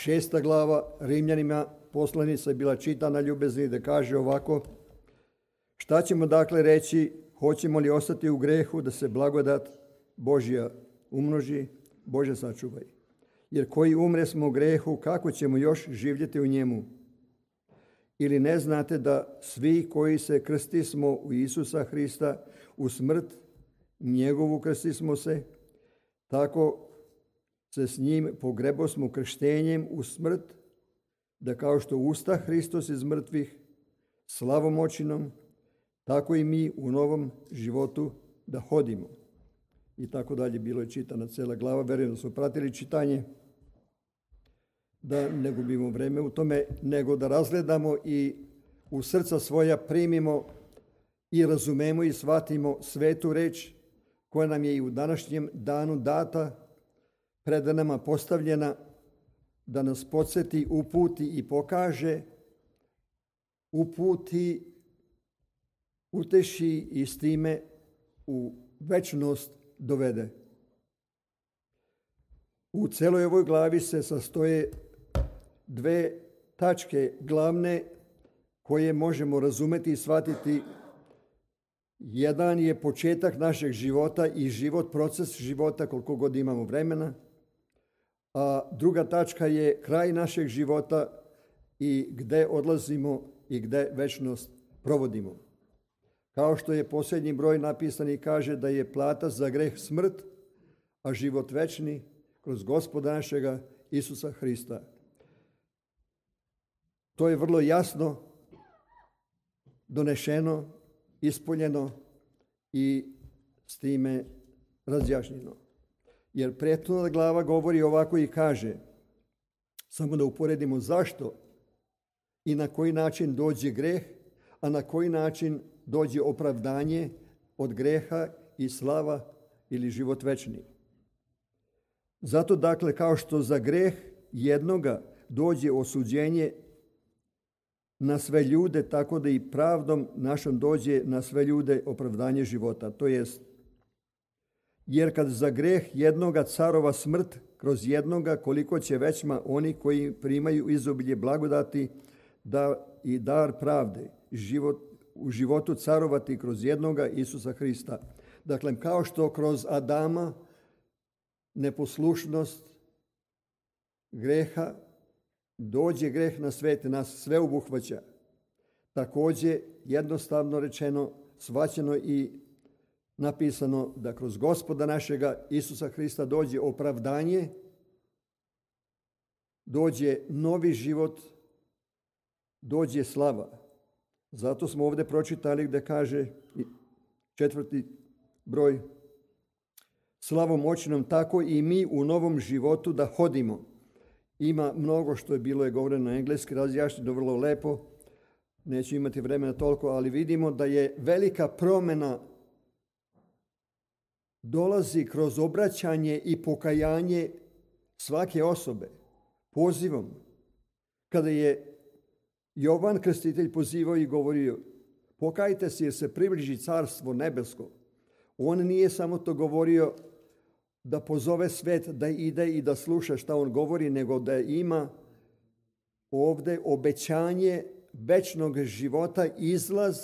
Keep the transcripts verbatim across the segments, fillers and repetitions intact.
šesta glava Rimljanima poslanica je bila čitana, ljubezni, da kaže ovako: šta ćemo dakle reći, hoćemo li ostati u grehu da se blagodat Božja umnoži? Bože sačuvaj. Jer koji umre smo u grehu, kako ćemo još živjeti u njemu? Ili ne znate da svi koji se krstismo u Isusa Hrista, u smrt njegovu krstismo se, tako se s njim pogrebosmo krštenjem u smrt, da kao što usta Hristos iz mrtvih slavom očinom, tako i mi u novom životu da hodimo. I tako dalje, bilo je čitana cela glava. Verujem da smo pratili čitanje, da ne gubimo vreme u tome, nego da razgledamo i u srca svoja primimo i razumemo i shvatimo svetu reč koja nam je i u današnjem danu data, pred nama postavljena, da nas podsjeti, uputi i pokaže, uputi, uteši i s time u večnost dovede. U celoj ovoj glavi se sastoje dve tačke glavne koje možemo razumeti i shvatiti. Jedan je početak našeg života i život, proces života koliko god imamo vremena, a druga tačka je kraj našeg života i gde odlazimo i gde večnost provodimo. Kao što je posljednji broj napisan i kaže da je plata za greh smrt, a život večni kroz Gospoda našega Isusa Hrista. To je vrlo jasno donešeno, ispoljeno i s time razjašnjeno. Jer prethodna glava govori ovako i kaže, samo da uporedimo zašto i na koji način dođe greh, a na koji način dođe opravdanje od greha i slava ili život večni. Zato dakle, kao što za greh jednoga dođe osuđenje na sve ljude, tako da i pravdom našom dođe na sve ljude opravdanje života. To jest, jer kad za greh jednoga carova smrt, kroz jednoga koliko će većma oni koji primaju izobilje blagodati da i dar pravde život, u životu carovati kroz jednoga Isusa Hrista. Dakle, kao što kroz Adama neposlušnost greha dođe greh na svet, nas sve obuhvaća. Također, jednostavno rečeno, shvaćeno i napisano da kroz Gospoda našega Isusa Hrista dođe opravdanje, dođe novi život, dođe slava. Zato smo ovdje pročitali gdje kaže četvrti broj, slavom očinom tako i mi u novom životu da hodimo. Ima mnogo što je bilo je govoreno na engleski, razjašnjeno vrlo lepo, neću imati vremena toliko, ali vidimo da je velika promjena dolazi kroz obraćanje i pokajanje svake osobe, pozivom. Kada je Jovan Krstitelj pozivao i govorio, pokajte se jer se približi carstvo nebesko. On nije samo to govorio da pozove svet da ide i da sluša šta on govori, nego da ima ovdje obećanje večnog života, izlaz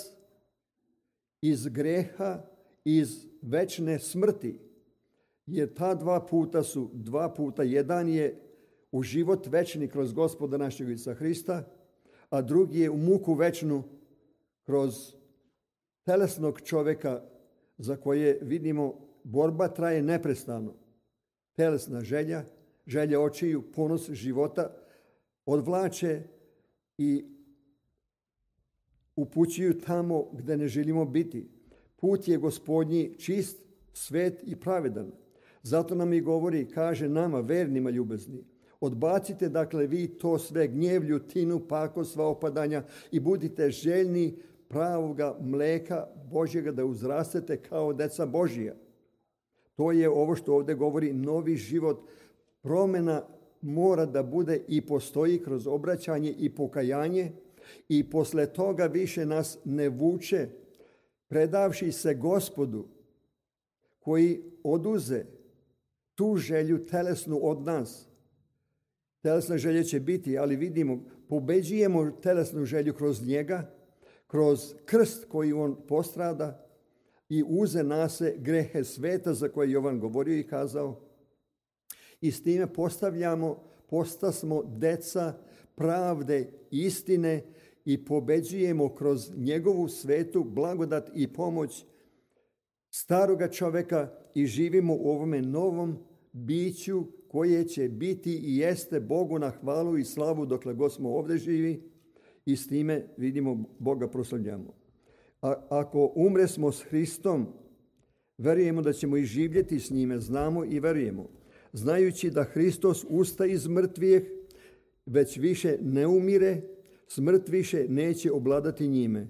iz greha, iz večne smrti. Jer ta dva puta su, dva puta, jedan je u život večni kroz Gospoda našeg Isusa Hrista, a drugi je u muku večnu kroz telesnog čovjeka za koje vidimo borba traje neprestano. Telesna želja, želja očiju, ponos života odvlače i upućuju tamo gdje ne želimo biti. Put je Gospodnji čist, svet i pravedan. Zato nam i govori, kaže nama, vernima ljubezni, odbacite dakle vi to sve gnjev, ljutinu, pakost, sva opadanja i budite željni pravoga mleka Božjega da uzrastete kao deca Božija. To je ovo što ovdje govori novi život. Promjena mora da bude i postoji kroz obraćanje i pokajanje i posle toga više nas ne vuče predavši se Gospodu koji oduze tu želju telesnu od nas. telesne želje će biti, ali vidimo, pobeđujemo telesnu želju kroz njega, kroz krst koji on postrada i uze nase grehe sveta za koje Jovan govorio i kazao. I s time postavljamo, postasmo deca pravde, istine i pobeđujemo kroz njegovu svetu blagodat i pomoć staroga čoveka i živimo u ovome novom biću koje će biti i jeste Bogu na hvalu i slavu dokle god smo ovdje živi i s time vidimo Boga proslavljamo. A ako umresmo s Hristom, verujemo da ćemo i živjeti s njime, znamo i verujemo. Znajući da Hristos ustaje iz mrtvih, već više ne umire, smrt više neće obladati njime.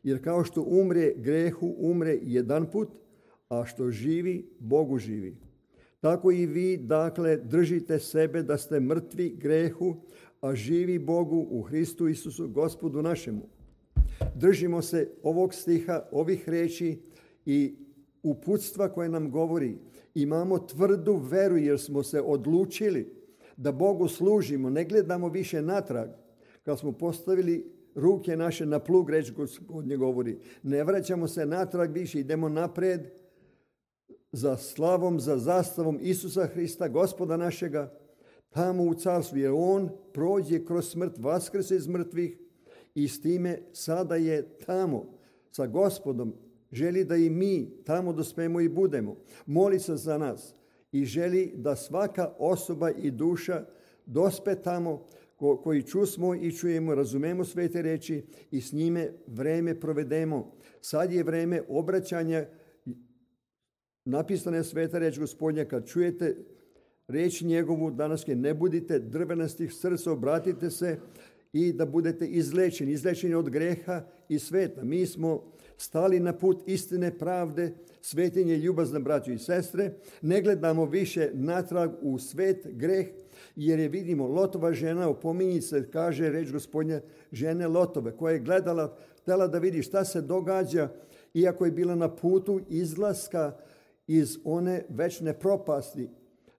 Jer kao što umre grehu, umre jedan put, a što živi, Bogu živi. Tako i vi, dakle, držite sebe da ste mrtvi grehu, a živi Bogu u Hristu Isusu, Gospodu našemu. Držimo se ovog stiha, ovih reči i uputstva koje nam govori. Imamo tvrdu veru jer smo se odlučili da Bogu služimo, ne gledamo više natrag. Kad smo postavili ruke naše na plug, reč Gospodnje govori, ne vraćamo se natrag više, idemo napred za slavom, za zastavom Isusa Hrista, Gospoda našega, tamo u carstvu, jer on prođe kroz smrt, vaskrse iz mrtvih i s time sada je tamo sa Gospodom. Želi da i mi tamo dospemo i budemo. Moli se za nas i želi da svaka osoba i duša dospe tamo ko, koji čusmo i čujemo, razumemo svete reči i s njime vreme provedemo. Sad je vreme obraćanja. Napisana je sveta reč Gospodnja, kad čujete reč njegovu danaske, ne budite drvenastih srca, obratite se i da budete izlečeni, izlečeni od greha i sveta. Mi smo stali na put istine, pravde, svetinje, ljubazne braćo i sestre. Ne gledamo više natrag u svet, greh, jer je vidimo Lotova žena, opominji se, kaže reč Gospodnja, žene Lotove, koja je gledala, htjela da vidi šta se događa, iako je bila na putu izlaska iz one večne propasti.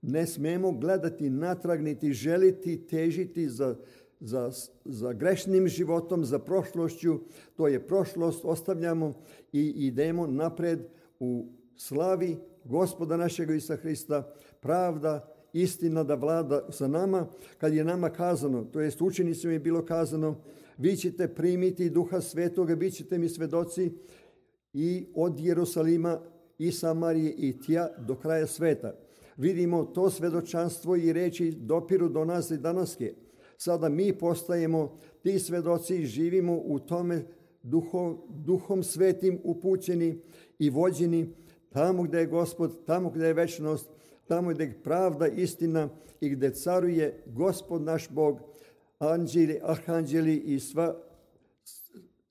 Ne smemo gledati natrag, niti želiti, težiti za Za, za grešnim životom, za prošlošću. To je prošlost, ostavljamo i idemo napred u slavi Gospoda našega Isusa Hrista. Pravda, istina da vlada sa nama. Kad je nama kazano, to jest učenicima je bilo kazano, vi ćete primiti Duha Svetoga, bit ćete mi svedoci i od Jerusalima i Samarije i tja do kraja sveta. Vidimo to svedočanstvo i reči dopiru do nas i danaske. Sada mi postajemo ti svedoci i živimo u tome duhom, duhom svetim upućeni i vođeni tamo gdje je Gospod, tamo gdje je večnost, tamo gdje je pravda, istina i gdje caruje Gospod naš Bog, anđeli, arhanđeli i sva,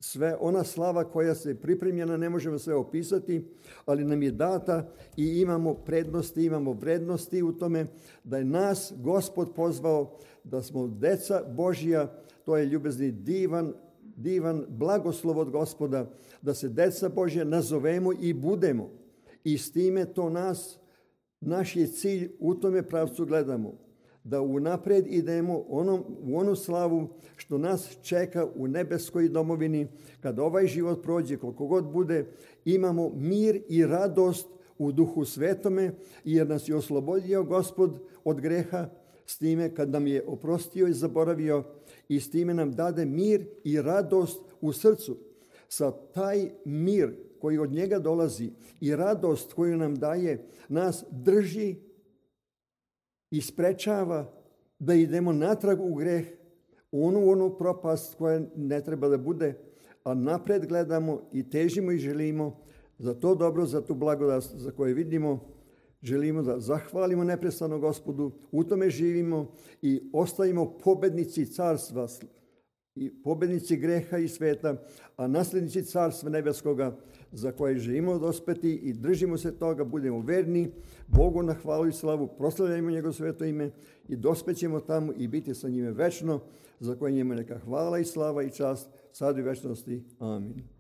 sve ona slava koja se pripremljena, ne možemo sve opisati, ali nam je data i imamo prednosti, imamo vrednosti u tome da je nas Gospod pozvao da smo deca Božja, to je ljubezni divan, divan blagoslov od Gospoda, da se deca Božja nazovemo i budemo. I s time to nas, naš je cilj, u tome pravcu gledamo, da unapred idemo onom, u onu slavu što nas čeka u nebeskoj domovini, kad ovaj život prođe, koliko god bude, imamo mir i radost u Duhu Svetome, jer nas je oslobodio Gospod od greha, s time kad nam je oprostio i zaboravio i s time nam dade mir i radost u srcu. Sa taj mir koji od njega dolazi i radost koju nam daje, nas drži i sprečava da idemo natrag u greh, u onu, onu propast koja ne treba da bude, a napred gledamo i težimo i želimo za to dobro, za tu blagodat za koje vidimo. Želimo da zahvalimo neprestano Gospodu, u tome živimo i ostajemo pobednici carstva i pobednici greha i sveta, a nasljednici carstva nebeskoga za koje želimo dospeti i držimo se toga, budemo verni Bogu na hvalu i slavu, proslavljajmo njegovo sveto ime i dospećemo tamo i biti sa njime večno, za koje njemu neka hvala i slava i čast sad i večnosti. Amin.